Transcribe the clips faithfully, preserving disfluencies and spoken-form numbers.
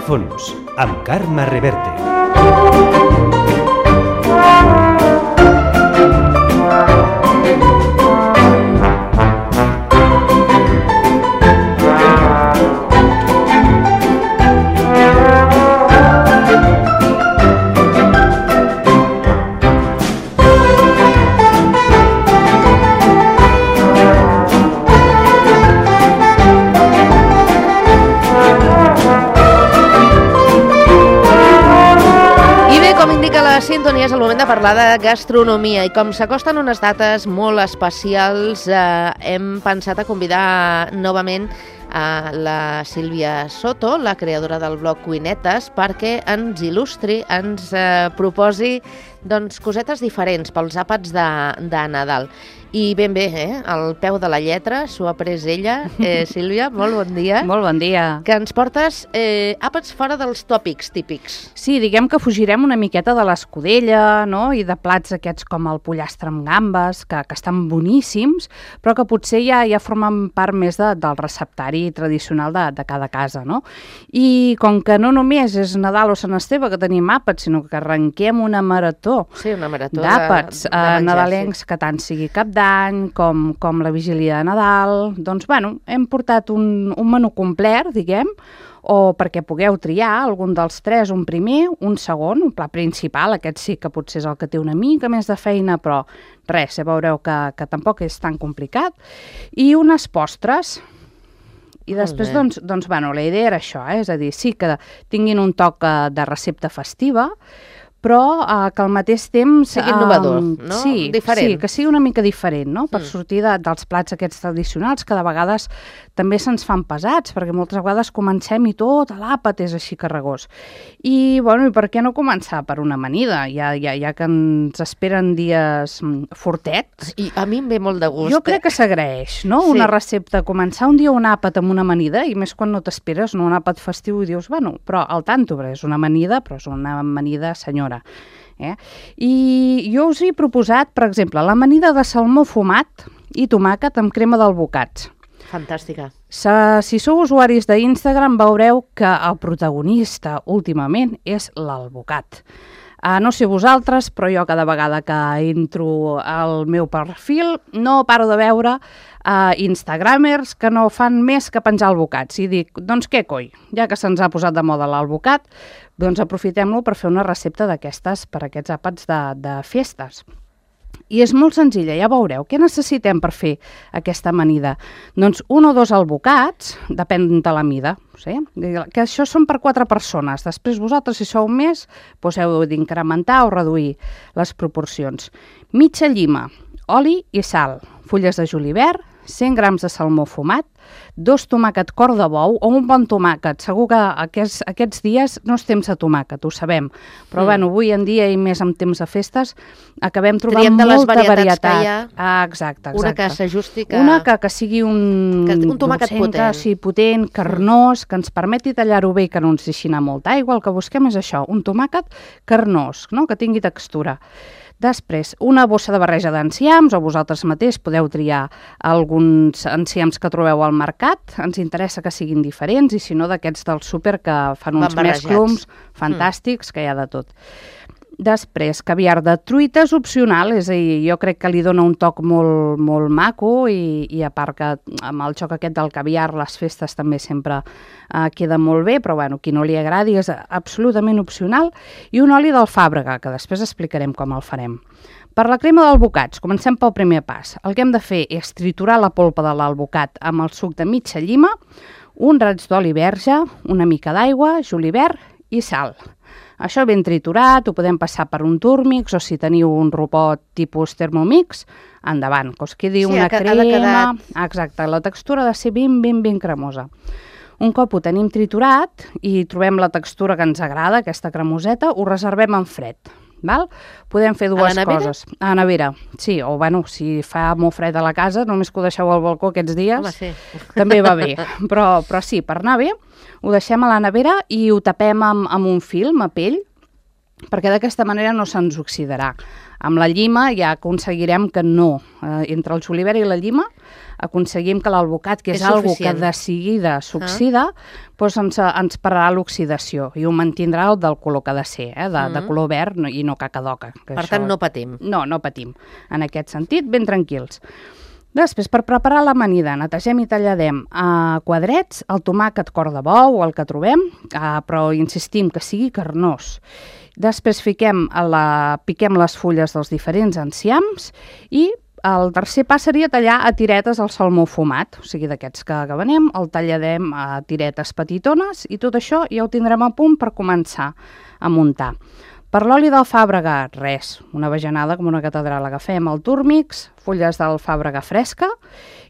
fons, amb Carme Reverte. Sintonia és el moment de parlar de gastronomia i com s'acosten unes dates molt especials eh, hem pensat a convidar novament a la Sílvia Soto, la creadora del blog Cuinetes, perquè ens il·lustri, ens eh, proposi doncs, cosetes diferents pels àpats de, de Nadal. I ben bé, eh? Al peu de la lletra, s'ho ha pres ella. Eh, Sílvia, molt bon dia. Molt bon dia. Que ens portes eh, àpats fora dels tòpics típics. Sí, diguem que fugirem una miqueta de l'escudella, no?, i de plats aquests com el pollastre amb gambes, que, que estan boníssims, però que potser ja, ja formen part més de, del receptari tradicional de, de cada casa, no? I com que no només és Nadal o Sant Esteve que tenim àpats, sinó que arrenquem una marató, sí, una marató d'àpats de, de menjar, nadalencs, sí, que tant sigui cap d'any com, com la vigília de Nadal, doncs, bueno, hem portat un, un menú complet, diguem, o perquè pugueu triar algun dels tres, un primer, un segon, un plat principal, aquest sí que potser és el que té una mica més de feina, però res, ja veureu que, que tampoc és tan complicat, i unes postres. I després, doncs, doncs, bueno, la idea era això, eh? És a dir, sí que tinguin un toc de recepta festiva, però eh, que al mateix temps... Sigui innovador, eh, no? Sí, diferent. Sí, que sigui una mica diferent, no? Per mm. sortir de, dels plats aquests tradicionals, que de vegades també se'ns fan pesats, perquè moltes vegades comencem i tot, l'àpat és així carregós. I, bueno, i per què no començar per una amanida, ja, ja, ja que ens esperen dies fortets? I a mi em ve molt de gust. Jo crec que s'agraeix, no? Sí. Una recepta, començar un dia un àpat amb una amanida, i més quan no t'esperes, no? Un àpat festiu i dius, bueno, però al tanto, és una amanida, però és una amanida senyora. Eh? I jo us he proposat, per exemple, l'amanida de salmó fumat i tomàquet amb crema d'alvocats. Fantàstica. Si, si sou usuaris d'Instagram veureu que el protagonista últimament és l'alvocat. Uh, no sé vosaltres, però jo cada vegada que entro al meu perfil no paro de veure uh, instagramers que no fan més que penjar albocats. I dic, doncs què coi, ja que se'ns ha posat de moda l'alvocat, doncs aprofitem-lo per fer una recepta d'aquestes per aquests àpats de, de festes. I és molt senzilla, ja veureu. Què necessitem per fer aquesta amanida? Doncs un o dos albocats, depèn de la mida, sí? Que això són per quatre persones. Després vosaltres, si sou més, doncs heu d'incrementar o reduir les proporcions. Mitja llima, oli i sal, fulles de julivert, cent grams de salmó fumat, dos tomàquet cor de bou o un bon tomàquet. Segur que aquests, aquests dies no és temps de tomàquet, ho sabem, però mm. bueno, avui en dia i més en temps de festes acabem trobant Triem de molta les varietat. Que hi ha, ah, exacte, exacte. Una que s'ajusti que... Una que, que sigui un... Que, un tomàquet dolcenca, potent. Sí, potent, carnós, que ens permeti tallar-ho bé i que no ens deixi anar molta aigua. El que busquem és això, un tomàquet carnós, no? Que tingui textura. Després, una bossa de barreja d'enciams, o vosaltres mateix podeu triar alguns enciams que trobeu al mercat. Ens interessa que siguin diferents i si no d'aquests del súper que fan uns mesclums fantàstics, mm. que hi ha de tot. Després, caviar de truita és opcional, és a dir, jo crec que li dona un toc molt, molt maco i, i a part que amb el xoc aquest del caviar, les festes també sempre eh, queda molt bé, però bueno, qui no li agradi és absolutament opcional. I un oli d'alfàbrega, que després explicarem com el farem. Per la crema d'alvocats, comencem pel primer pas. El que hem de fer és triturar la polpa de l'alvocat amb el suc de mitja llima, un raig d'oli verge, una mica d'aigua, julivert i sal. Això ben triturat, ho podem passar per un túrmix o si teniu un rupot tipus Thermomix, endavant, que us quedi sí, una crema... Quedat... Exacte, la textura ha de ser ben, ben, ben cremosa. Un cop ho tenim triturat i trobem la textura que ens agrada, aquesta cremoseta, ho reservem en fred. Val? Podem fer dues a coses. A la nevera? Sí, o bueno, si fa molt fred a la casa, només que ho deixeu al balcó aquests dies, home, sí. també va bé. Però, però sí, per anar bé, ho deixem a la nevera i ho tapem amb, amb un film a pell perquè d'aquesta manera no se'ns oxidarà. Amb la llima ja aconseguirem que no. Eh, entre el julivert i la llima aconseguim que l'alvocat, que és, és algo que de seguida s'oxida, ah. doncs ens, ens pararà l'oxidació i ho mantindrà el del color que ha de ser, eh, de, mm. de color verd i no cacadoca. Per això... tant, no patim. No, no patim. En aquest sentit, ben tranquils. Després, per preparar l'amanida, netegem i talladem a quadrets el tomàquet cor de bou, el que trobem, eh, però insistim que sigui carnós. Després fiquem a la, piquem les fulles dels diferents enciams i el tercer pas seria tallar a tiretes el salmó fumat, o sigui, d'aquests que venem, el talladem a tiretes petitones i tot això ja ho tindrem a punt per començar a muntar. Per l'oli d'alfàbrega, res, una bajanada com una catedral. Agafem el túrmix, fulles d'alfàbrega fresca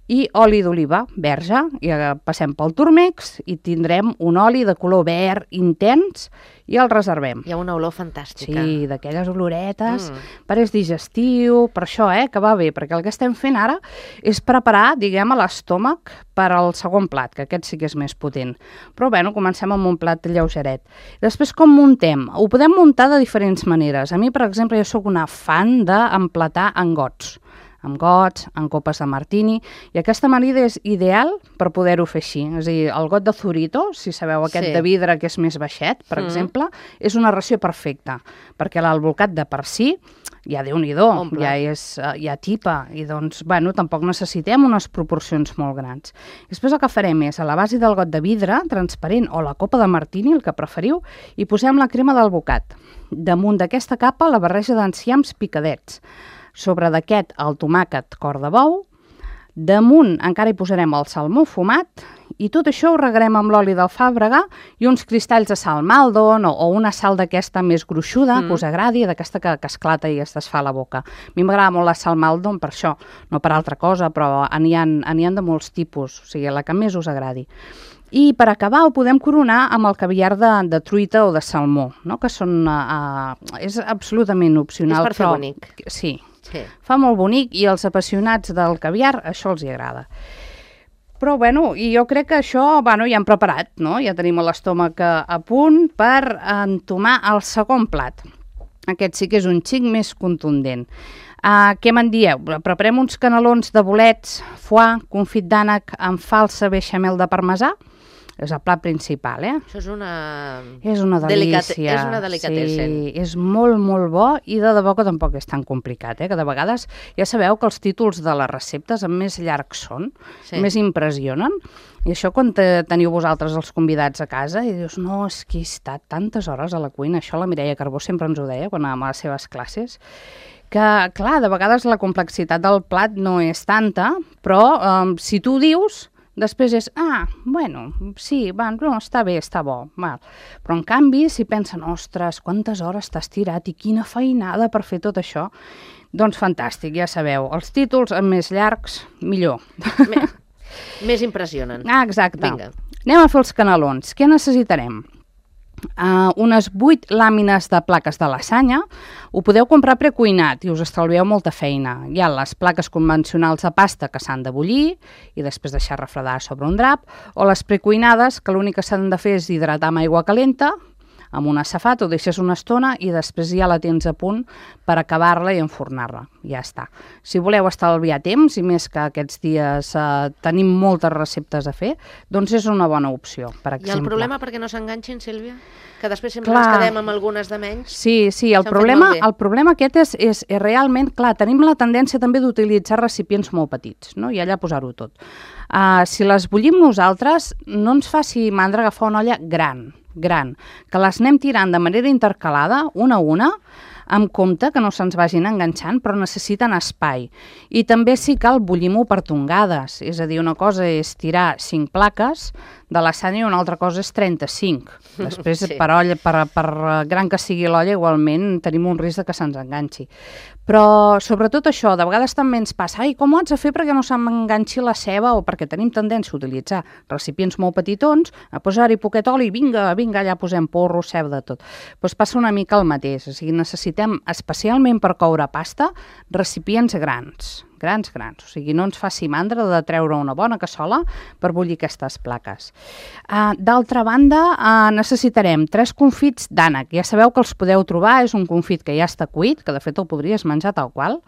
i oli d'oliva verge, i passem pel túrmix i tindrem un oli de color verd intens i el reservem. Hi ha una olor fantàstica. Sí, d'aquelles oloretes, mm. per és digestiu, per això, eh, que va bé, perquè el que estem fent ara és preparar, diguem, a l'estómac per al segon plat, que aquest sí que és més potent. Però, bueno, comencem amb un plat lleugeret. Després, com muntem? Ho podem muntar de diferents maneres. A mi, per exemple, jo sóc una fan d'emplatar en gots. amb gots, en copes de martini, i aquesta amanida és ideal per poder-ho fer així. És a dir, el got de Zurito, si sabeu aquest sí. de vidre que és més baixet, per mm. exemple, és una ració perfecta, perquè l'alvocat de per si ja Déu-n'hi-do, ja, és, ja tipa, i doncs, bueno, tampoc necessitem unes proporcions molt grans. Després el que farem és, a la base del got de vidre, transparent, o la copa de martini, el que preferiu, i posem la crema d'alvocat. Damunt d'aquesta capa, la barreja d'enciams picadets. Sobre d'aquest, el tomàquet cor de bou. Damunt encara hi posarem el salmó fumat, i tot això ho regarem amb l'oli d'alfàbrega i uns cristalls de sal Maldon o, o una sal d'aquesta més gruixuda, mm. que us agradi, d'aquesta que, que esclata i es desfà a la boca. A mi m'agrada molt la sal Maldon per això, no per altra cosa, però n'hi ha, n'hi ha de molts tipus, o sigui, la que més us agradi. I per acabar ho podem coronar amb el caviar de, de truita o de salmó, no? Que són, uh, és absolutament opcional. És per fer però, bonic. Sí, sí, fa molt bonic i els apassionats del caviar això els hi agrada. Però, bueno, i jo crec que això, bueno, ja hem preparat, no? Ja tenim l'estómac a punt per entomar el segon plat. Aquest sí que és un xic més contundent. Uh, què me'n dieu? Preparem uns canelons de bolets, foie, confit d'ànec amb falsa beixamel de parmesà. És el plat principal, eh? Això és una... És una delícia. Delicate... És una delicatessen. Sí, és molt, molt bo i de debò que tampoc és tan complicat, eh? Que de vegades ja sabeu que els títols de les receptes més llargs són, sí. més impressionen. I això quan te, teniu vosaltres els convidats a casa i dius, no, és que he estat tantes hores a la cuina. Això la Mireia Carbó sempre ens ho deia quan anàvem a les seves classes, que, clar, de vegades la complexitat del plat no és tanta, però um, si tu dius... Després és, ah, bueno, sí, va, no, està bé, està bo. Val. Però en canvi, si pensen, ostres, quantes hores t'has tirat i quina feinada per fer tot això, doncs fantàstic, ja sabeu, els títols més llargs, millor. Més, més impressionen. Ah, exacte. Vinga. Anem a fer els canelons. Què necessitarem? Uh, unes vuit làmines de plaques de lasanya. Ho podeu comprar precuinat i us estalvieu molta feina. Hi ha les plaques convencionals de pasta que s'han de bullir i després deixar refredar sobre un drap, o les precuinades que l'únic que s'han de fer és hidratar amb aigua calenta, amb un safat, ho deixes una estona i després ja la tens a punt per acabar-la i enfornar-la. Ja està. Si voleu estalviar temps, i més que aquests dies eh, tenim moltes receptes a fer, doncs és una bona opció, per exemple. I el problema perquè no s'enganxin, Sílvia? Que després sempre clar. ens quedem amb algunes de menys? Sí, sí, el problema, el problema aquest és, és, és realment, clar, tenim la tendència també d'utilitzar recipients molt petits, no? I allà posar-ho tot. Uh, si les bullim nosaltres, no ens faci mandra agafar una olla gran, gran, que les anem tirant de manera intercalada, una a una, amb compte que no se'ns vagin enganxant, però necessiten espai. I també sí cal bullim-ho per tongades, és a dir, una cosa és tirar cinc plaques de lasanya i una altra cosa és trenta-cinc. Després, sí. per, olla, per, per gran que sigui l'olla, igualment tenim un risc de que se'ns enganxi. Però, sobretot això, de vegades també ens passa, ai, com ho haig de fer perquè no s'enganxi la ceba, o perquè tenim tendència a utilitzar recipients molt petitons, a posar-hi poquet oli, vinga, vinga, allà posem porro, ceba, de tot. Doncs passa una mica el mateix, o sigui, necessitem, especialment per coure pasta, recipients grans, grans, grans. O sigui, no ens faci mandra de treure una bona cassola per bullir aquestes plaques. Uh, D'altra banda, uh, necessitarem tres confits d'ànec. Ja sabeu que els podeu trobar, és un confit que ja està cuit, que de fet el podries menjar tal qual,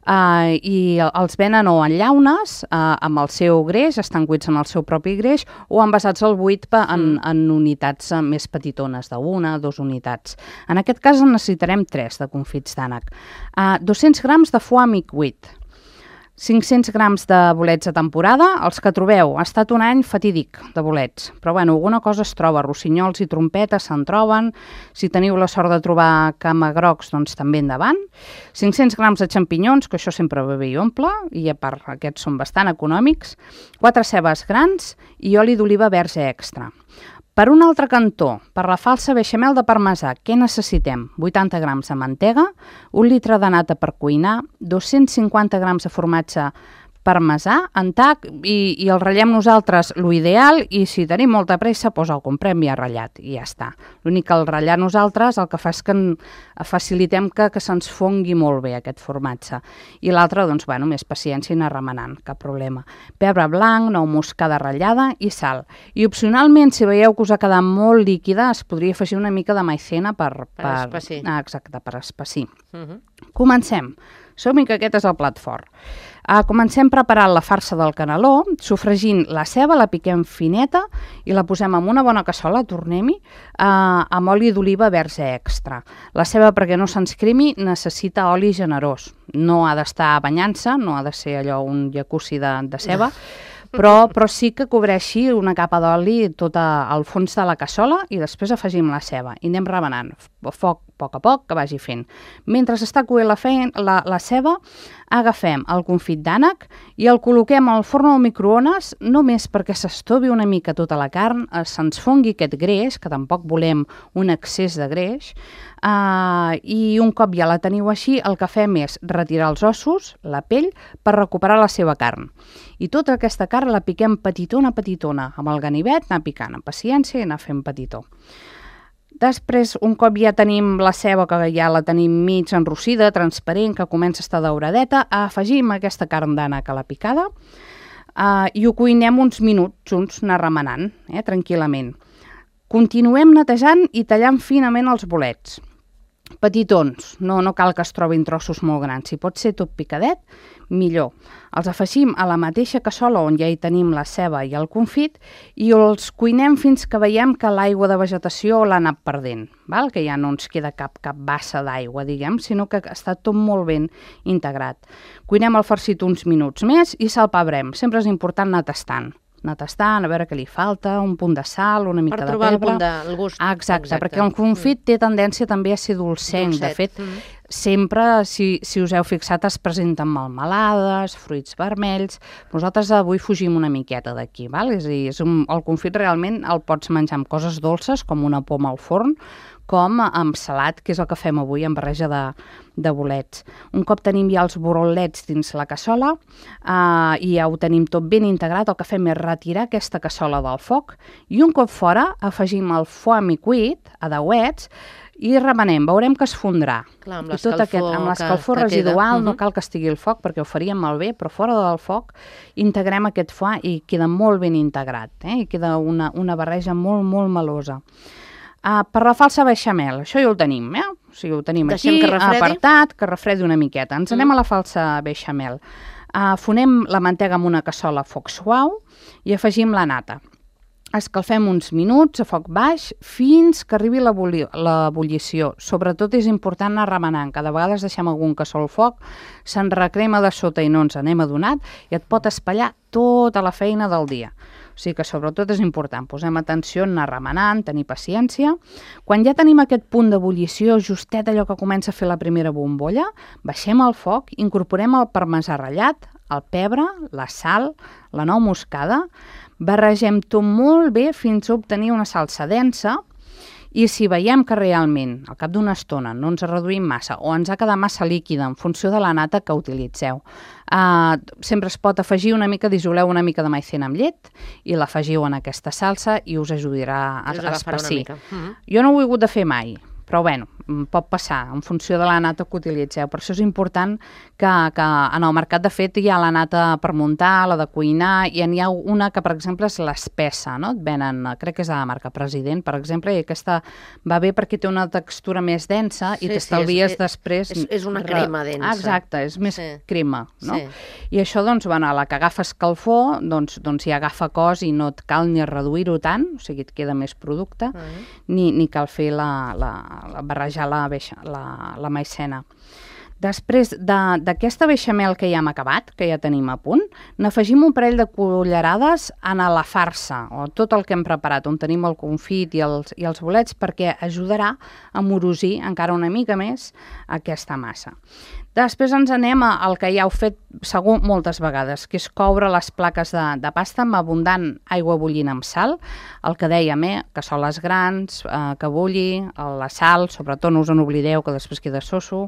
Uh, i els venen o en llaunes uh, amb el seu greix, estan cuits en el seu propi greix, o envasats al buit en, en unitats uh, més petitones, d'una, dues unitats. En aquest cas en necessitarem tres de confits d'ànec. Uh, dos-cents grams de foie mi cuit, cinc-cents grams de bolets de temporada, els que trobeu. Ha estat un any fatídic de bolets, però bueno, alguna cosa es troba, rossinyols i trompetes se'n troben, si teniu la sort de trobar camagrocs, doncs també endavant. cinc-cents grams de xampinyons, que això sempre va bé i omple, i a part aquests són bastant econòmics, quatre cebes grans i oli d'oliva verge extra. Per un altre cantó, per la falsa beixamel de parmesà, què necessitem? vuitanta grams de mantega, un litre de nata per cuinar, dos-cents cinquanta grams de formatge parmesà en tac i, i el ratllem nosaltres l'ideal, i si tenim molta pressa doncs el comprem ja ratllat i ja està. L'únic que el ratllar nosaltres el que fa és que en, facilitem que, que se'ns fongui molt bé aquest formatge, i l'altre doncs bueno, més paciència i anar remenant, cap problema. Pebre blanc, nou moscada ratllada i sal, i opcionalment si veieu que us ha quedat molt líquida es podria afegir una mica de maicena per, per, per espessir. Ah, exacte, per espessir. Uh -huh. Comencem. Som-hi que aquest és el plat fort. Uh, comencem preparant la farsa del caneló, sofregint la ceba, la piquem fineta i la posem en una bona cassola, tornem-hi, uh, amb oli d'oliva verge extra. La ceba, perquè no se'ns cremi, necessita oli generós. No ha d'estar banyant-se, no ha de ser allò un jacuzzi de, de ceba, però, però sí que cobreixi una capa d'oli tot al fons de la cassola i després afegim la ceba i anem remenant a foc a poc a poc que vagi fent. Mentre està coent la, feina, la, la ceba, agafem el confit d'ànec i el col·loquem al forn o al microones només perquè s'estovi una mica tota la carn, se'ns fongui aquest greix, que tampoc volem un excés de greix, uh, i un cop ja la teniu així, el que fem és retirar els ossos, la pell, per recuperar la seva carn. I tota aquesta carn la piquem petitona, petitona, amb el ganivet, anar picant amb paciència i anar fent petitó. Després, un cop ja tenim la ceba, que ja la tenim mig enrossida, transparent, que comença a estar dauradeta, afegim aquesta carn d'ànec a la picada uh, i ho cuinem uns minuts junts, anar remenant, eh, tranquil·lament. Continuem netejant i tallant finament els bolets. Petitons, no, no cal que es trobin trossos molt grans, si pot ser tot picadet, millor. Els afegim a la mateixa cassola on ja hi tenim la ceba i el confit i els cuinem fins que veiem que l'aigua de vegetació l'ha anat perdent, val? Que ja no ens queda cap, cap bassa d'aigua, diguem, sinó que està tot molt ben integrat. Cuinem el farcit uns minuts més i salpebrem. Sempre és important anar tastant. anar tastant, a veure què li falta, un punt de sal, una mica de pebre. Per trobar el punt de el gust. Ah, exacte, exacte, perquè el confit mm. té tendència també a ser dolcenc. Dolcet. De fet, mm. sempre, si, si us heu fixat, es presenten melmelades, fruits vermells. Nosaltres avui fugim una miqueta d'aquí, val? És a dir, és un, el confit realment el pots menjar amb coses dolces, com una poma al forn, com amb salat, que és el que fem avui, amb barreja de, de bolets. Un cop tenim ja els bolets dins la cassola eh, i ja ho tenim tot ben integrat, el que fem és retirar aquesta cassola del foc i un cop fora afegim el foie mi cuit a dauets i remenem, veurem que es fondrà. Clar, amb l'escalfor, amb l'escalfor residual, uh-huh. no cal que estigui el foc perquè ho faríem malbé, però fora del foc integrem aquest foie i queda molt ben integrat, eh? I queda una, una barreja molt, molt melosa. Uh, per la falsa beixamel, això ja ho tenim, eh? O sigui, ho tenim Deixem aquí, que apartat, que refredi una miqueta. Ens anem mm. a la falsa beixamel. Uh, fonem la mantega amb una cassola a foc suau i afegim la nata. Escalfem uns minuts a foc baix fins que arribi l'ebullició. Sobretot és important anar remenant. Cada vegada deixem algun cassó al foc, se'n recrema de sota i no ens n'hem adonat i et pot espatllar tota la feina del dia. O sigui que sobretot és important, posem atenció en anar remenant, tenir paciència. Quan ja tenim aquest punt d'ebullició, justet allò que comença a fer la primera bombolla, baixem el foc, incorporem el parmesà ratllat, el pebre, la sal, la nou moscada, barregem tot molt bé fins a obtenir una salsa densa i si veiem que realment al cap d'una estona no ens reduïm massa o ens ha quedat massa líquida en funció de la nata que utilitzeu, uh, sempre es pot afegir una mica, dissoleu una mica de maicena amb llet i l'afegiu en aquesta salsa i us ajudarà a, a espessir. Uh-huh. Jo no ho he hagut de fer mai, però bueno, pot passar, en funció de la nata que utilitzeu. Per això és important que, que en el mercat, de fet, hi ha la nata per muntar, la de cuinar, i n'hi ha una que, per exemple, és l'espessa, no? Et venen, crec que és de la marca President, per exemple, i aquesta va bé perquè té una textura més densa i sí, t'estalvies sí, és, després... És, és una crema densa. Ah, exacte, és més sí. crema, no? Sí. I això, doncs, bueno, a la que agafa escalfor, doncs, doncs ja agafa cos i no et cal ni reduir-ho tant, o sigui, et queda més producte, uh -huh. ni, ni cal fer la, la, la barrejar la, la, la maicena. Després d'aquesta beixamel que ja hem acabat, que ja tenim a punt, n'afegim un parell de cullerades a la farsa, o tot el que hem preparat, on tenim el confit i els, i els bolets, perquè ajudarà a morosir encara una mica més aquesta massa. Després ens anem al que ja heu fet segur moltes vegades, que és coure les plaques de, de pasta amb abundant aigua bullint amb sal, el que dèiem, eh, cassoles grans, eh, que bulli, la sal, sobretot no us en oblideu que després queda soso,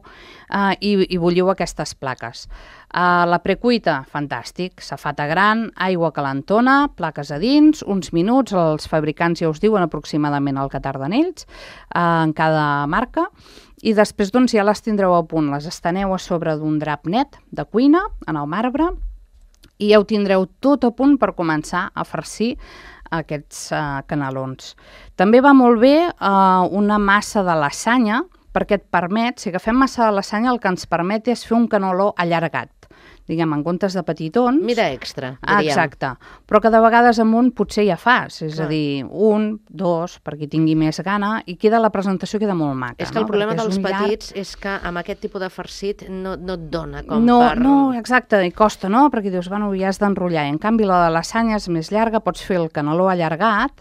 eh, i, i bulliu aquestes plaques. Uh, la precuita, fantàstic, safata gran, aigua calentona, plaques a dins, uns minuts, els fabricants ja us diuen aproximadament el que tarden ells, uh, en cada marca, i després doncs, ja les tindreu a punt, les esteneu a sobre d'un drap net de cuina, en el marbre, i ja ho tindreu tot a punt per començar a farcir aquests uh, canelons. També va molt bé uh, una massa de lasanya, perquè et permet, si agafem massa de lasanya, el que ens permet és fer un caneló allargat, diguem, en comptes de petitons. Mida extra, diríem. Ah, exacte. Però que de vegades amb un potser ja fas, és Clar. a dir, un, dos, perquè tingui més gana, i queda la presentació queda molt maca. És que el no? problema perquè dels petits llarg... és que amb aquest tipus de farcit no, no et dona com no, per... No, exacte, i costa, no? Perquè dius, bueno, ja has d'enrotllar. En canvi, la de lasanya és més llarga, pots fer el caneló allargat,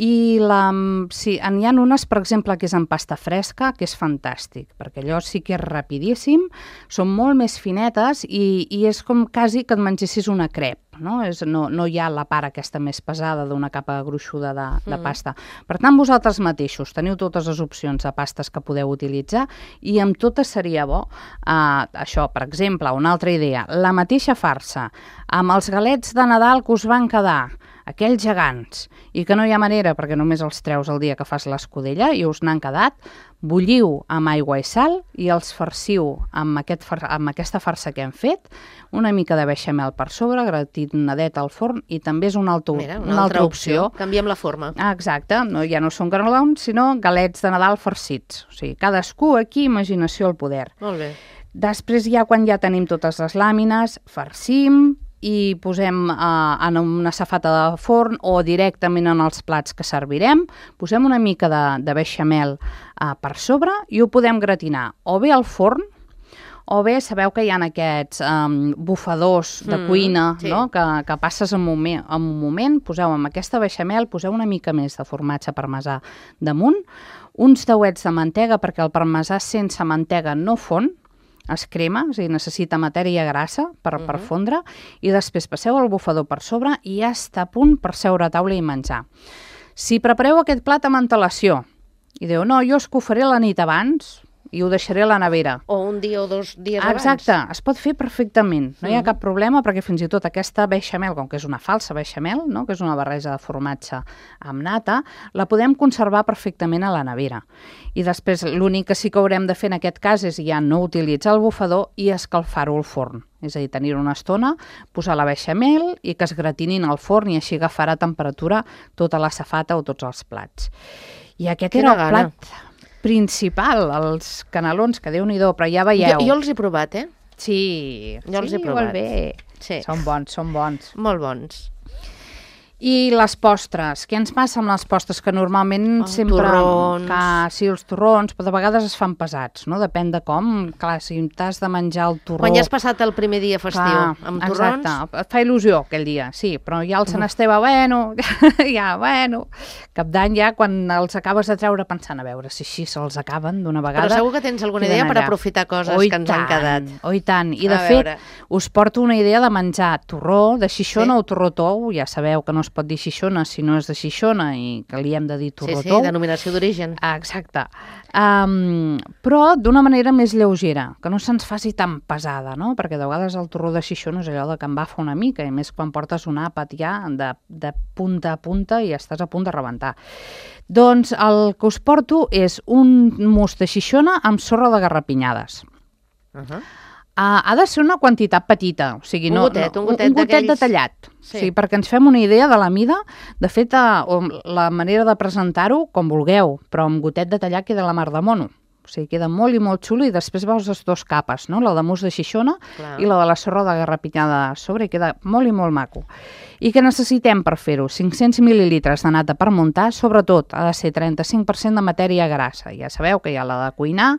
i la, sí, n'hi ha unes, per exemple, que és en pasta fresca, que és fantàstic, perquè allò sí que és rapidíssim, són molt més finetes i, i és com quasi que et mengessis una crep, no? És, no, no hi ha la part aquesta més pesada d'una capa gruixuda de, de mm. pasta. Per tant, vosaltres mateixos teniu totes les opcions de pastes que podeu utilitzar i amb totes seria bo uh, això, per exemple, una altra idea, la mateixa farsa, amb els galets de Nadal que us van quedar, aquells gegants, i que no hi ha manera perquè només els treus el dia que fas l'escudella i us n'han quedat, bulliu amb aigua i sal i els farciu amb, aquest far amb aquesta farsa que hem fet, una mica de beixamel per sobre, gratinadet al forn, i també és una, altra, Mira, una, una altra altra opció. opció. Canviem la forma. Ah, exacte, no, ja no són canelons, sinó galets de Nadal farcits. O sigui, cadascú aquí, imaginació al poder. Molt bé. Després ja, quan ja tenim totes les làmines, farcim i posem uh, en una safata de forn o directament en els plats que servirem, posem una mica de, de beixamel uh, per sobre i ho podem gratinar o bé al forn, o bé sabeu que hi ha aquests um, bufadors de mm, cuina, sí. no? que, que passes en un, moment, en un moment, poseu amb aquesta beixamel, poseu una mica més de formatge parmesà damunt, uns dauets de mantega, perquè el parmesà sense mantega no fon, es crema, és a dir, necessita matèria grassa per, uh-huh. per fondre, i després passeu el bufador per sobre i ja està a punt per seure a taula i menjar. Si prepareu aquest plat amb antelació i diu, no, jo és que ho faré la nit abans i ho deixaré a la nevera. O un dia o dos dies ah, abans. Exacte, es pot fer perfectament, no hi ha cap problema, perquè fins i tot aquesta beixamel, com que és una falsa beixamel, no? que és una barreja de formatge amb nata, la podem conservar perfectament a la nevera. I després l'únic que sí que haurem de fer en aquest cas és ja no utilitzar el bufador i escalfar-ho al forn. És a dir, tenir una estona, posar la beixamel i que es gratinin al forn i així agafarà temperatura tota la safata o tots els plats. I aquest Quina era el gana. plat principal, els canelons, que Déu-n'hi-do, però ja veieu. Jo, jo els he provat, eh? Sí, jo els sí, he provat. Molt bé. Sí. Són bons, són bons. Molt bons. I les postres, què ens passa amb les postres? Que normalment oh, sempre... Torrons. Que, sí, els torrons, però de vegades es fan pesats, no? Depèn de com. Clar, si t'has de menjar el torró... Quan ja has passat el primer dia festiu clar, amb torrons... Exacte, et fa il·lusió aquell dia, sí, però ja el Sant Esteve, bueno, ja, bueno... Cap d'any ja, quan els acabes de treure pensant a veure si així se'ls acaben d'una vegada... Però segur que tens alguna idea per aprofitar coses oh, que ens tant, han quedat. Oh, i tant, i de a fet veure. us porto una idea de menjar torró, de xixona sí? o torró tou, ja sabeu que no es es pot dir Xixona si no és de Xixona i que li hem de dir torró Sí, tou. sí, denominació d'origen. Exacte. Um, però d'una manera més lleugera, que no se'ns faci tan pesada, no? Perquè de vegades el torró de Xixona és allò de que em bafa una mica, i més quan portes un àpat ja de, de punta a punta i estàs a punt de rebentar. Doncs el que us porto és un mousse de Xixona amb sorra de garrapinyades. Uh -huh. Uh, ha de ser una quantitat petita, o sigui, Un no, gotet, no, un gotet un gotet d'aquells- detallat, Sí. sí, perquè ens fem una idea de la mida. De fet, uh, la manera de presentar-ho, com vulgueu, però amb gotet detallat queda la mar de mono. O sigui, queda molt i molt xulo, i després veus les dues capes, no? La de mousse de Xixona Clar. i la de la sorra de garrapinyada a sobre, i queda molt i molt maco. I què necessitem per fer-ho? cinc-cents mil·lilitres de nata per muntar, sobretot ha de ser trenta-cinc per cent de matèria grassa. Ja sabeu que hi ha la de cuinar,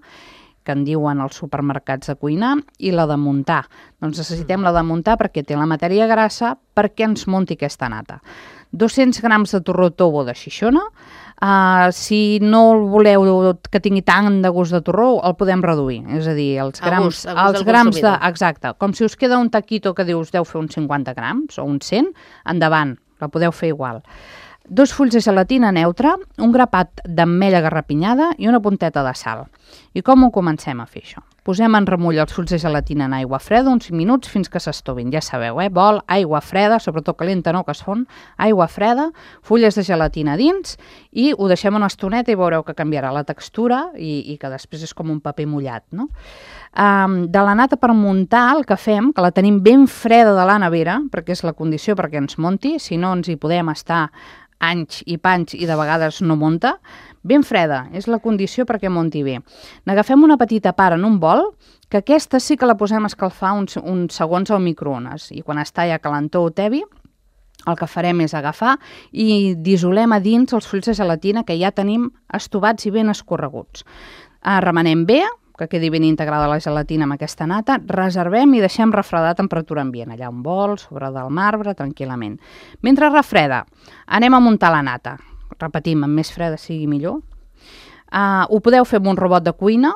que en diuen als supermercats de cuinar, i la de muntar. Doncs necessitem la de muntar perquè té la matèria grassa perquè ens munti aquesta nata. dos-cents grams de torró tobo de Xixona. Uh, si no el voleu que tingui tant de gust de torró, el podem reduir. És a dir, els A grams, gust, a gust els del grams de... consumidor. Exacte. Com si us queda un taquito que dius deu fer uns cinquanta grams o uns cent, endavant, la podeu fer igual. Dos fulls de gelatina neutra, un grapat d'ametlla garrapinyada i una punteta de sal. I com ho comencem a fer això? Posem en remull els fulls de gelatina en aigua freda uns cinc minuts fins que s'estovin. Ja sabeu, eh? Bol, aigua freda, sobretot calenta no, que es fon, aigua freda, fulles de gelatina dins, i ho deixem una estoneta i veureu que canviarà la textura i, i que després és com un paper mullat, no? Um, de la nata per muntar, el que fem, que la tenim ben freda de la nevera, perquè és la condició perquè ens monti, si no ens hi podem estar anys i panys i de vegades no monta, ben freda, és la condició perquè monti bé. N'agafem una petita part en un bol, que aquesta sí que la posem a escalfar uns, uns segons al microones, i quan està ja calentó o tebi, el que farem és agafar i dissolem a dins els fulls de gelatina que ja tenim estovats i ben escorreguts. Uh, remenem bé, que quedi ben integrada la gelatina amb aquesta nata, reservem i deixem refredar a temperatura ambient, allà un bol, sobre del marbre, tranquil·lament. Mentre refreda, anem a muntar la nata. Repetim, amb més freda sigui millor. Uh, ho podeu fer amb un robot de cuina,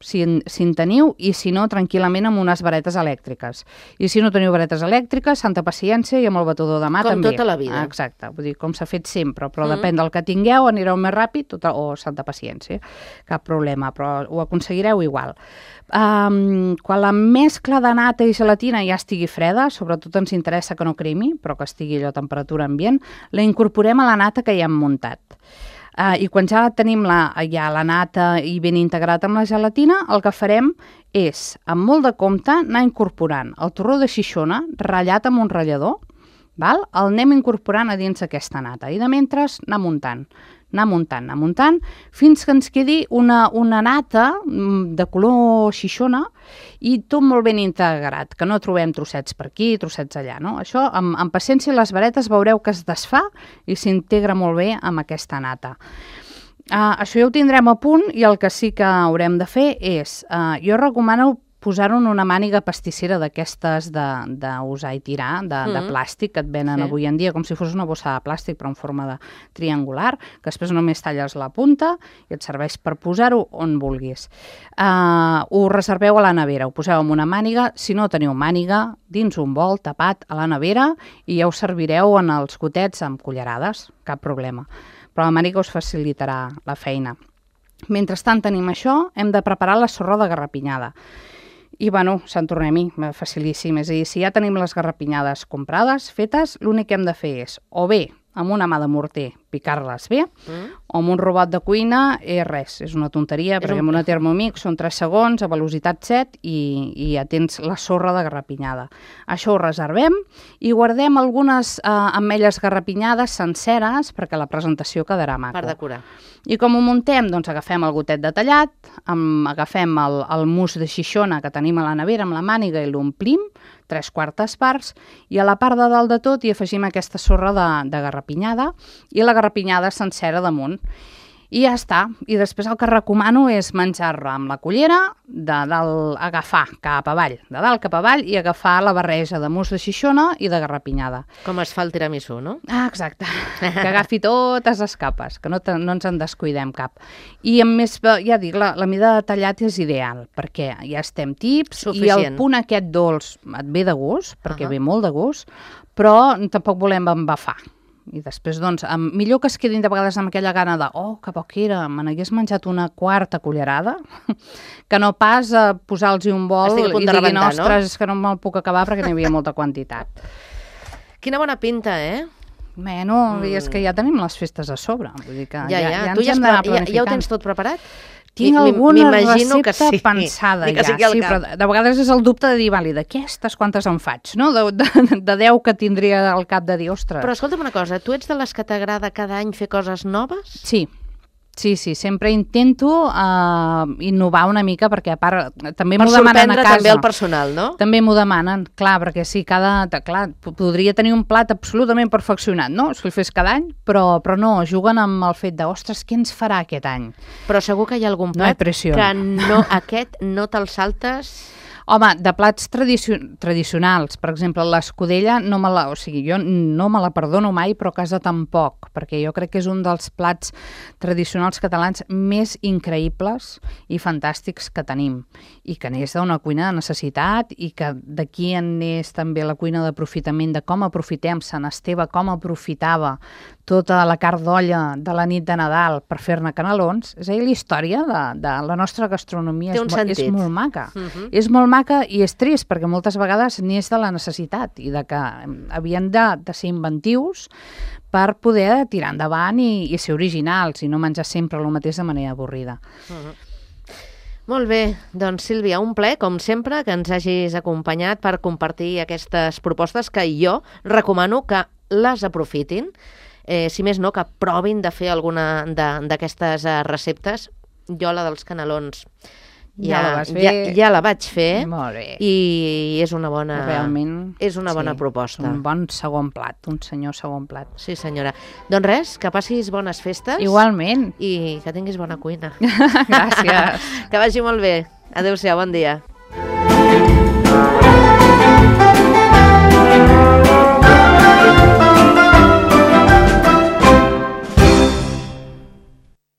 si en, si en teniu, i si no, tranquil·lament amb unes varetes elèctriques. I si no teniu varetes elèctriques, santa paciència, i amb el batedor de mà Com també. tota la vida. Exacte, vull dir, com s'ha fet sempre, però Mm. depèn del que tingueu, anireu més ràpid tota, o santa paciència, cap problema, però ho aconseguireu igual. Um, quan la mescla de nata i gelatina ja estigui freda, sobretot ens interessa que no cremi, però que estigui allò a temperatura ambient, la incorporem a la nata que ja hem muntat. Uh, I quan ja tenim la, ja la nata i ben integrat amb la gelatina, el que farem és, amb molt de compte, anar incorporant el torró de Xixona ratllat amb un ratllador, val? El anem incorporant a dins aquesta nata i de mentre anar muntant, anar muntant, anar muntant, fins que ens quedi una, una nata de color Xixona i tot molt ben integrat, que no trobem trossets per aquí, trossets allà, no? Això, amb, amb paciència, les varetes veureu que es desfà i s'integra molt bé amb aquesta nata. Uh, això ja ho tindrem a punt, i el que sí que haurem de fer és, uh, jo recomano posar-ho en una màniga pastissera d'aquestes d'usar i tirar, de, de Mm. plàstic, que et venen Sí. avui en dia, com si fos una bossa de plàstic, però en forma de triangular, que després només talles la punta i et serveix per posar-ho on vulguis. Uh, ho reserveu a la nevera, ho poseu en una màniga, si no teniu màniga, dins un bol tapat a la nevera, i ja ho servireu en els gotets amb cullerades, cap problema. Però la màniga us facilitarà la feina. Mentrestant tenim això, hem de preparar la sorra de garrapinyada. I, bueno, Sant tornem-hi, facilíssim. És a dir, si ja tenim les garrapinyades comprades, fetes, l'únic que hem de fer és, o bé, amb una mà de morter, picar-les bé, Mm. o amb un robot de cuina, és res, és una tonteria, És perquè un- amb una Thermomix són tres segons, a velocitat set, i, i ja tens la sorra de garrapinyada. Això ho reservem i guardem algunes eh, ametlles garrapinyades senceres perquè la presentació quedarà maco. Per decorar. I com ho muntem? Doncs agafem el gotet detallat, amb, agafem el, el mousse de Xixona que tenim a la nevera amb la màniga i l'omplim, tres quartes parts, i a la part de dalt de tot hi afegim aquesta sorra de, de garrapinyada i la garrapinyada sencera damunt. I ja està. I després el que recomano és menjar-la amb la cullera, de dalt agafar cap avall, de dalt cap avall, i agafar la barreja de mousse de Xixona i de garrapinyada. Com es fa el tiramisú, no? Ah, exacte. Que agafi totes les capes, que no, te, no ens en descuidem cap. I a més, ja dic, la, la mida de tallat és ideal, perquè ja estem tips, Suficient. i el punt aquest dolç et ve de gust, perquè Uh-huh. ve molt de gust, però tampoc volem embafar. I després, doncs, millor que es quedin de vegades amb aquella gana de oh, que poc era, me n'hagués menjat una quarta cullerada, que no pas a posar-los un bol i diguin, rebentar, ostres, no? És que no me'l puc acabar perquè n'hi havia molta quantitat. Quina bona pinta, eh? Bueno, mm. és que ja tenim les festes a sobre. Vull dir que ja, ja, ja, ja tu ens ja, hem d'anar ja, ja ho tens tot preparat? Tinc alguna recepta sí. pensada sí, ja, sí, però de vegades és el dubte de dir, vale, d'aquestes quantes en faig, no? De, de, de deu que tindria al cap de dir, ostres. Però escolta'm una cosa, tu ets de les que t'agrada cada any fer coses noves? Sí. Sí, sí, sempre intento uh, innovar una mica perquè a part també m'ho demanen a casa. Per sorprendre també el personal, no? També m'ho demanen, clar, perquè sí, cada... Clar, podria tenir un plat absolutament perfeccionat, no? Si el fes cada any, però, però no, juguen amb el fet de, ostres, què ens farà aquest any? Però segur que hi ha algun plat no que no, aquest no te'l saltes... Home, de plats tradicio tradicionals, per exemple, l'escudella, no me la, o sigui, jo no me la perdono mai, però a casa tampoc, perquè jo crec que és un dels plats tradicionals catalans més increïbles i fantàstics que tenim, i que n'és d'una cuina de necessitat, i que d'aquí en és també la cuina d'aprofitament, de com aprofitem Sant Esteve, com aprofitava tota la carn d'olla de la nit de Nadal per fer-ne canelons. És a dir, la història de, de la nostra gastronomia és, és molt maca. Uh -huh. És molt maca i és trist, perquè moltes vegades n'hi és de la necessitat i de que havien de, de ser inventius per poder tirar endavant i, i ser originals i no menjar sempre el mateix de manera avorrida. Uh -huh. Molt bé, doncs Sílvia, un plaer, com sempre, que ens hagis acompanyat per compartir aquestes propostes que jo recomano que les aprofitin. Eh, si més no, que provin de fer alguna d'aquestes uh, receptes. Jo la dels canelons ja, ja, la, vas fer. ja, ja la vaig fer. Molt bé. I és una bona, realment, és una sí, bona proposta. Un bon segon plat, un senyor segon plat. Sí, senyora. Doncs res, que passis bones festes. Igualment. I que tinguis bona cuina. Gràcies. Que vagi molt bé. Adéu-siau, bon dia.